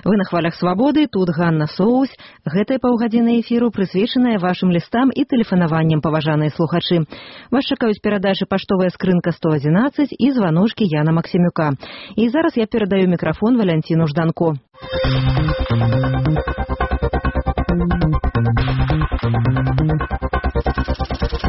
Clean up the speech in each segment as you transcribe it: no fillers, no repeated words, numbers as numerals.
Вы на хвалях свабоды, тут Ганна Соусь. Гэтая паўгадзіны эфіру прысвечаная вашым лістам і тэлефанаванням, паважаныя слухачы. Вас чакаюць перадачы паштовая скрынка 111 і званочкі Яна Максімюка. І зараз я перадаю мікрафон Валянціну Жданко.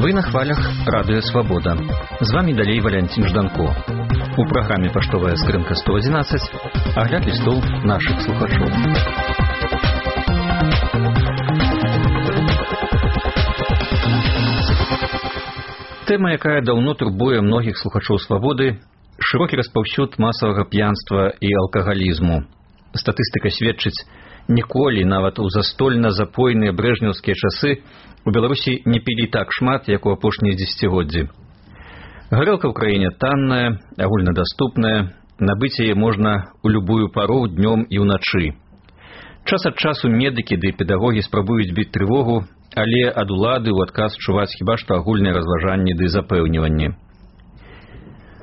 Вы на хвалях Радыё Свабода. З вами далей Валянцін Жданко. У праграме «Паштовая скрынка 111» агляд лістоў нашых слухачоў. Тэма, якая даўно турбуе многіх слухачоў «Свабоды» – шырокі распаўсюд масавага п'янства і алкагалізму. Статыстыка сведчыць, ніколі, нават у застольна-запойныя брэжнеўскія часы, у Беларусі не пілі так шмат, як у апошнія дзесяцігоддзі. Гарэлка ў краіне танная, агульнадаступная, набыць яе можна ў любую пару днём і ўначы. Час ад часу медыкі ды педагогі спрабуюць біць трывогу, але ад улады ў адказ чуваць хіба што агульныя разважанні ды запэўніванні.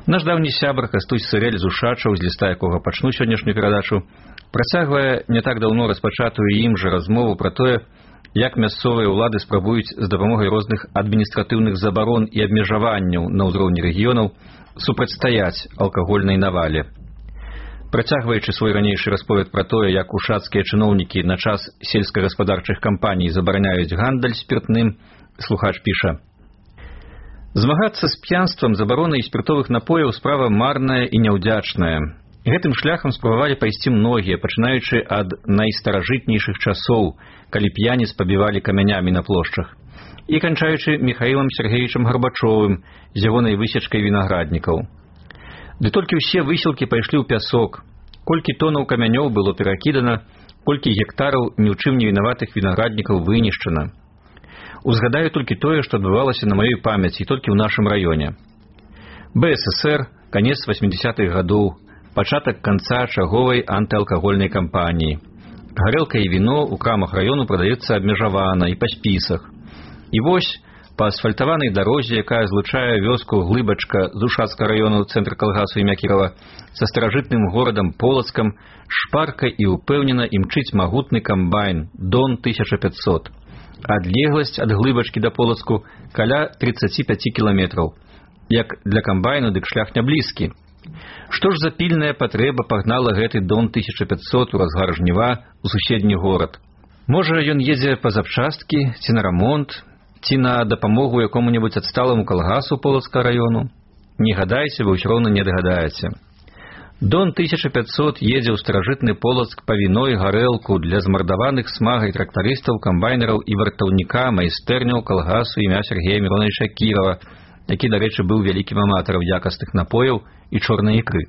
Наш даўні сябар Кастусь Сырэль з Ушачаў, з ліста якога пачну сённяшнюю перадачу, працягвае не так даўно распачатую ім жа размову пра тое, як мясцовыя ўлады спрабуюць з дапамогай розных адміністратыўных забарон і абмежаванняў на ўзроўні рэгіёнаў супрацьстаяць алкагольнай навале. Працягваючы свой ранейшы расповед пра тое, як ушацкія чыноўнікі на час сельскагаспадарчых кампаній забараняюць гандаль спіртным, слухач піша: «Змагацца з п'янствам, забаронай спіртовых напояў справа марная і няўдзячная. Гэтым шляхам спрабавалі пайсці многія, пачынаючы ад найстаражытнейшых часоў, калі п'яніц пабівалі камянямі на плошчах, і канчаючы Міхаілам Сергеевичам Гарбачовым з ягонай высечкай вінаграднікаў. Ды толькі ўсе высілкі пайшлі ў пясок, колькі тонаў камянёў было перакідана, колькі гектараў ні ў чым не вінаватых вінаграднікаў вынішчана. Узгадаю толькі тое, што адбывалася на маёй памяці толькі ў нашым раёне. БССР, канец 80-х гадоў, пачатак канца чарговай антыалкагольнай кампаніі. Гарэлка і віно ў крамах раёну прадаецца абмежавана і па спісах. І вось, па асфальтаванай дарозе, якая злучае вёску Глыбачка з Ушацкага раёну цэнтр калгасу імя Кірова са старажытным горадам Полацкам, шпарка і ўпэўнена імчыць магутны камбайн Дон 1500. Адлегласць ад Глыбачкі да Полацку каля 35 кіламетраў. Як для камбайну, дык шлях не блізкі. Што ж за пільная патрэба пагнала гэты Дон 1500 у разгар жніва ў суседні горад? Можа, ён едзе па запчасткі, ці на рамонт, ці на дапамогу якому-небудзь адсталаму калгасу Полацкага раёну? Не гадайце, вы ўсё роўна не дагадаеце. Дон 1500 едзе ў старажытны Полацк па віно і гарэлку для змардаваных смагай трактарыстаў, камбайнераў і вартаўніка майстэрняў калгасу імя Сергея Міроновича Кірова, які, дарэчы, быў вялікім аматарам якасных напояў і чорнай ікры.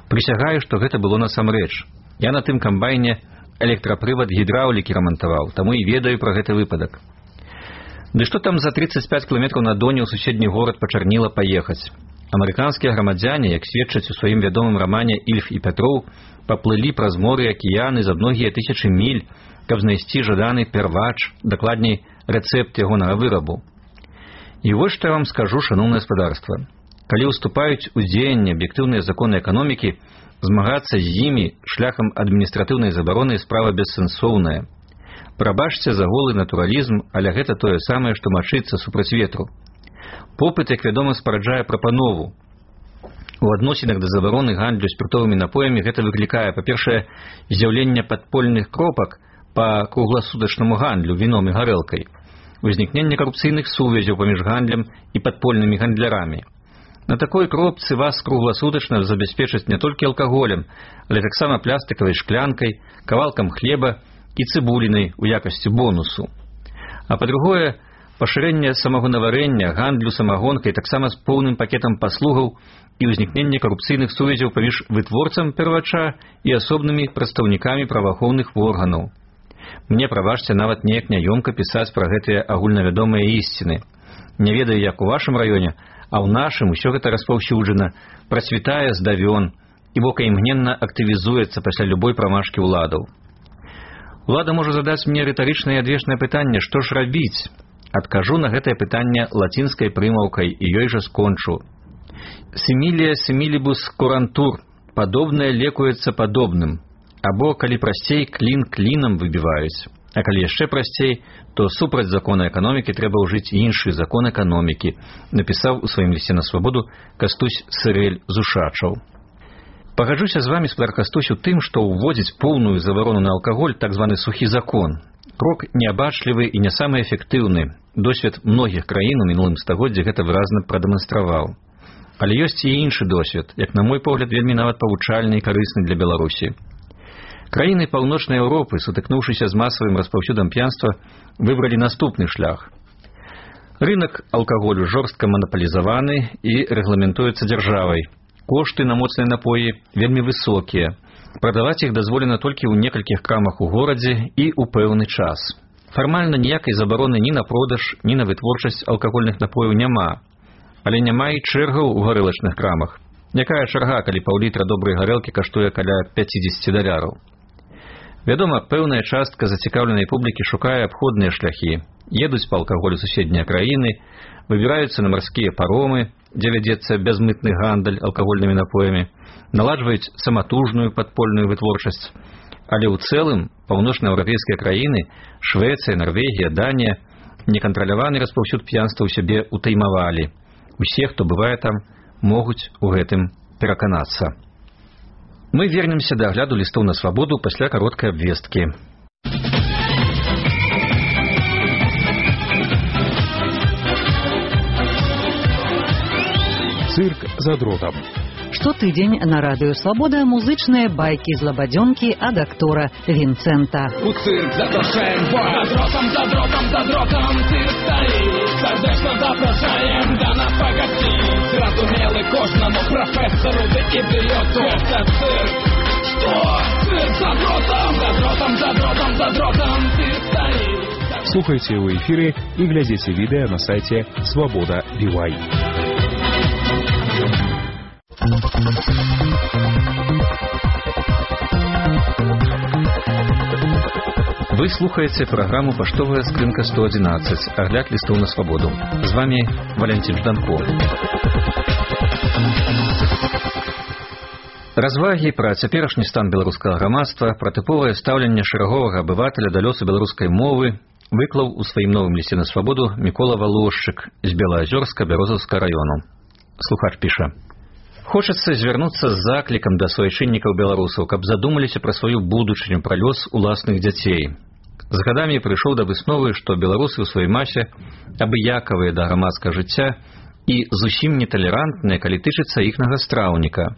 Прысягаю, што гэта было насамрэч. Я на тым камбайне электрапрывад гідраўлікі рамантаваў, таму і ведаю пра гэты выпадак. Ды што там за 35 кіламетраў на Доне ў суседні горад пачарніла паехаць? Амерыканскія грамадзяне, як сведчаць у сваім вядомым рамане «Ільф і Пятроў», паплылі праз моры і акіяны за многія тысячы міль, каб знайсці жаданы первач, дакладней, рэцэпт ягонага вырабу. І вось што я вам скажу, шаноўнае гаспадарства. Калі ўступаюць у дзеянне аб'ектыўныя законы эканомікі, змагацца з імі шляхам адміністратыўнай забароны справа бессэнсоўная. Прабачце за голы натуралізм, але гэта тое самае, што мачыцца супраць ветру. Попыт, як вядома, спараджае прапанову. У адносінах да забароны гандлю спіртовымі напоямі гэта выклікае, па-першае, з'яўленне падпольных кропак па кругласутачнаму гандлю віном і гарэлкай, узнікненне карупцыйных сувязяў паміж гандлем і падпольнымі гандлярамі. На такой кропцы вас кругласутачна забяспечаць не толькі алкаголем, але таксама пластыкавай шклянкай, кавалкам хлеба і цыбулінай у якасці бонусу. А па-другое, пашырэнне самагонаварэння, гандлю самагонкай таксама з поўным пакетам паслугаў і ўзнікненне карупцыйных сувязяў паміж вытворцам первача і асобнымі прадстаўнікамі праваахоўных органаў. Мне, прабачце, нават неяк няёмка пісаць пра гэтыя агульнавядомыя ісціны. Не ведаю, як у вашым раёне, а ў нашым усё гэта распаўсюджана, працвітае здавён, і вока імгненна актывізуецца пасля любой прамашкі ўладаў. Улада можа задаць мне рытарычнае і адвечнае пытанне, што ж рабіць? Адкажу на гэтае пытанне лацінскай прымаўкай і ёй жа скончу. Сімілія сімілібус курантур, падобнае лекуецца падобным. Або, калі прасцей, клін клінам выбіваюць. А калі яшчэ прасцей, то супраць закона эканомікі трэба ўжыць іншы закон эканомікі, напісаў у сваім лісце на свабоду Кастусь Сырэль з Ушачаў. Пагаджуся з вамі, спадар Кастусь, у тым, што ўводзіць поўную забарону на алкаголь, так званы сухі закон. Крок неабачлівы і не самы эфектыўны. Досвед многіх краін у мінулым стагоддзі гэта выразна прадэманстраваў. Але ёсць і іншы досвед, як на мой погляд, вельмі нават павучальны і карысны для Беларусі. Краіны Паўночнай Еўропы, сутыкнуўшыся з масавым распаўсюдам п'янства, выбралі наступны шлях. Рынак алкаголю жорстка манапалізаваны і рэгламентуецца дзяржавай. Кошты на моцныя напоі вельмі высокія. Прадаваць іх дазволена толькі ў некалькіх крамах у горадзе і ў пэўны час. Фармальна ніякай забароны ні на продаж, ні на вытворчасць алкагольных напояў няма. Але няма і чэргаў у гарэлачных крамах. Якая чарга, калі паўлітра добрай гарэлкі каштуе каля $50? Вядома, пэўная частка зацікаўленай публікі шукае абходныя шляхі. Едуць па алкаголю суседнія краіны, выбіраюцца на марскія паромы, дзе вядзецца бязмытны гандаль алкагольнымі напоямі, наладжваюць саматужную падпольную вытворчасць. Але ў цэлым паўночнаеўрапейскія краіны, Швецыя, Нарвегія, Данія, некантраляваны распаўсюд п'янства ў сябе утаймавалі. Усе, хто бывае там, могуць у гэтым пераканацца. Мы вернемся да агляду лістоў на свабоду пасля кароткай абвесткі. Цирк за дротом. Штотыдзень на радыё «Свабода» музычныя байкі з лабадзёнкі ад актора Вінцэнта. У цирк запрашаем вас! За дротом цирк стаіць. Сардэчна запрашаем да нас пагасціць. Зразумелы кожнаму прафесару ды ідыёту. Гэта цирк. Што? Цирк за дротом цирк стаіць. Слухайте ў эфіры і глядзіце відэа на сайце Свабода BY. Вы слухаете программу «Паштовая скрынка 111», огляд листов на свободу. С вами Валентин Жданко. Развагі пра цяперашні стан беларускага грамадства, пра тыповае стаўленне шэраговага абывателя да лёсу беларускай мовы выклаў у сваім новым лісце на свабоду Мікола Валошчык з Белаазёрска Бярозаўскага раёну. Слухач піша: «Хочацца звярнуцца з заклікам да суайчыннікаў беларусаў, каб задумаліся пра сваю будучыню, пра лёс уласных дзяцей. З гадамі прыйшоў да высновы, што беларусы ў сваёй масе абыякавыя да грамадскага жыцця і зусім неталерантныя, калі тычыцца іхнага страўніка.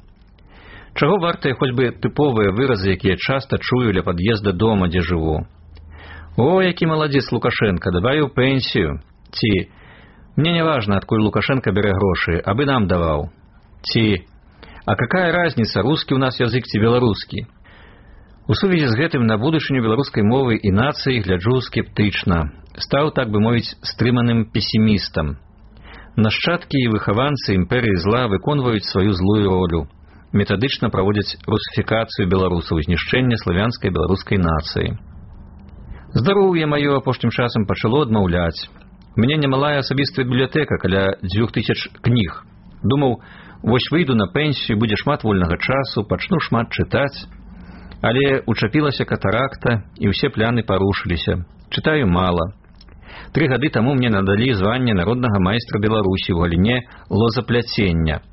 Чаго вартыя хоць бы тыповыя выразы, якія часта чую ля пад'езда дома, дзе жыву. О, які маладзец Лукашенко, давай у пенсію. Ці мне не важна, адкуль Лукашенко бярэ грошы, абы нам даваў. Ці а какая разница, рускі ў нас язык ці беларускі. У сувязі з гэтым на будучыню беларускай мовы і нацыі гляджу скептычна. Стаў, так бы мовіць, стрыманым песімістам. Нашчадкі і выхаванцы імперыі зла выконваюць сваю злую ролю. Метадычна праводзяць русіфікацыю беларусаў, знішчэнне славянскай беларускай нацыі. Здароўе маё апошнім часам пачало адмаўляць. У мяне немалая асабістая бібліятэка, каля 2000 кніг. Думаў, вось выйду на пенсію, будзе шмат вольнага часу, пачну шмат чытаць. Але учапілася катаракта, і ўсе пляны парушыліся. Чытаю мала. 3 гады таму мне надалі званне народнага майстра Беларусі ў галіне лозапляцення.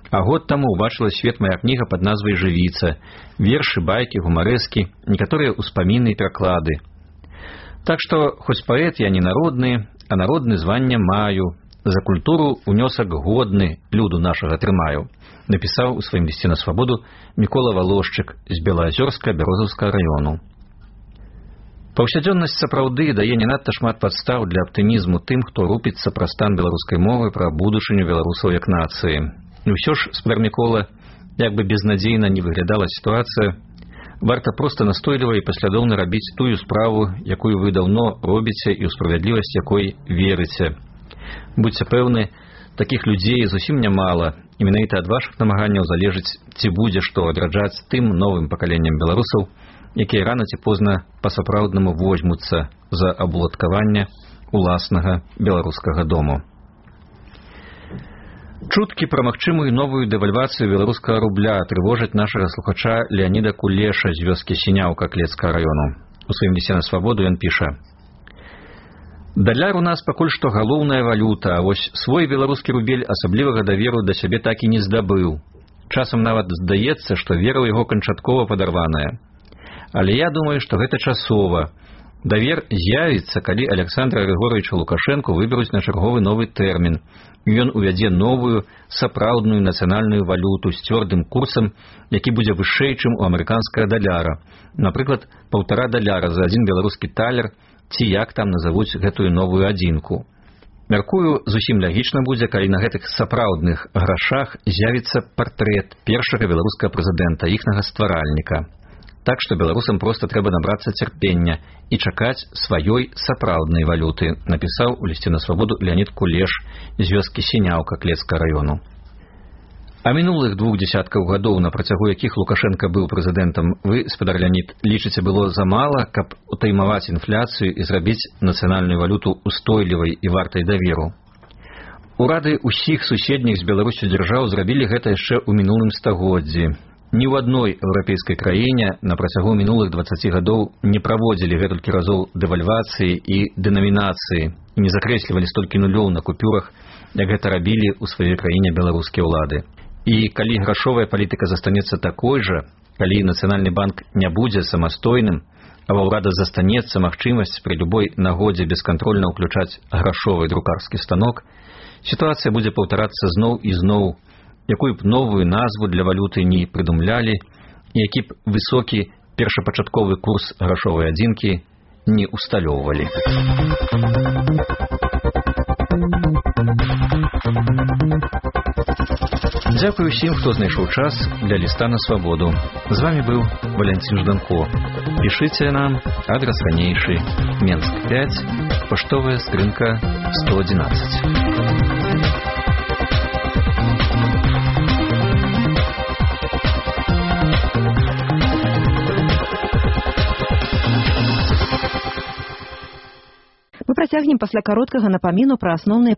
А год таму ўбачыла свет мая кніга пад назвай «Жывіца», вершы, байкі, гумарэскі, некаторыя ўспаміны і пераклады. Так што, хоць паэт я не народны, а народны званне маю. За культуру унёсак годны люду нашага трымаю, напісаў у сваім лісце на свабоду Мікола Валошчык з Белаазёрска Бярозаўскага раёну. Паўсядзённасць сапраўды дае не надта шмат падстаў для аптымізму тым, хто рупіцца пра стан беларускай мовы, пра будучыню беларусаў як нацыі. І ўсё ж, спадар Мікола, як бы безнадзейна не выглядала сітуацыя, варта проста настойліва і паслядоўна рабіць тую справу, якую вы даўно робіце і ў справядлівасць якой верыце. Будьце пэўны, такіх людзей зусім нямала, і менавіта ад вашых намаганняў залежыць, ці будзе што адраджаць тым новым пакаленням беларусаў, якія рана ці позна па-сапраўднаму возьмуцца за абуладкаванне уласнага беларускага дому. Чуткі пра магчымую новую дэвальвацыю беларускага рубля трывожаць нашага слухача Леаніда Кулеша з вёскі Сіняўка Клецкага раёну. У сваім лісце на свабоду ён піша: «Даляр у нас пакуль што галоўная валюта, а вось свой беларускі рубель асаблівага даверу да сябе так і не здабыў. Часам нават здаецца, што вера ў яго канчаткова падарваная. Але я думаю, што гэта часова. Давер з'явіцца, калі Александра Григорьевича Лукашенко выберуць на чарговы новы тэрмін. Ён увядзе новую, сапраўдную нацыянальную валюту з цвёрдым курсам, які будзе вышэй, чым у амерыканскага даляра. Напрыклад, $1,5 за адзін беларускі талер, ці як там назавуць гэтую новую адзінку. Мяркую, зусім лагічна будзе, калі на гэтых сапраўдных грашах з'явіцца партрэт першага беларускага прэзідэнта, іхнага стваральніка. Так што беларусам проста трэба набрацца цярпення і чакаць сваёй сапраўднай валюты», напісаў у лісце на свабоду Леанід Кулеш з вёскі Сіняўка Клецкага раёну. А мінулых 2 дзесяткаў гадоў, на працягу якіх Лукашенка быў прэзідэнтам, вы, спадар Леанід, лічыце было замала, каб утаймаваць інфляцыю і зрабіць нацыянальную валюту устойлівай і вартай даверу? Урады ўсіх суседніх з Беларусю дзяржаў зрабілі гэта яшчэ ў мінулым стагоддзі. Ні ў адной еўрапейскай краіне на працягу мінулых 20 гадоў не праводзілі гэтулькі разоў дэвальвацыі і дэнамінацыі і не закрэслівалі столькі нулёў на купюрах, як гэта рабілі ў сваёй краіне беларускія ўлады. І калі грашовая палітыка застанецца такой жа, калі Нацыянальны банк не будзе самастойным, а ва ўрада застанецца магчымасць пры любой нагодзе бескантрольна ўключаць грашовы друкарскі станок, сітуацыя будзе паўтарацца зноў і зноў, якую б новую назву для валюты не прыдумлялі, і які б высокі першапачатковы курс грашовай адзінкі не усталёўвалі. Дзякую ўсім, хто знайшоў час для ліста на свабоду. З вами быў Валянцін Жданко. Пішыце нам, адрас ранейшы, Менск 5, паштовая скрынка 111. Мы працягнем пасля кароткага напаміну пра асноўныя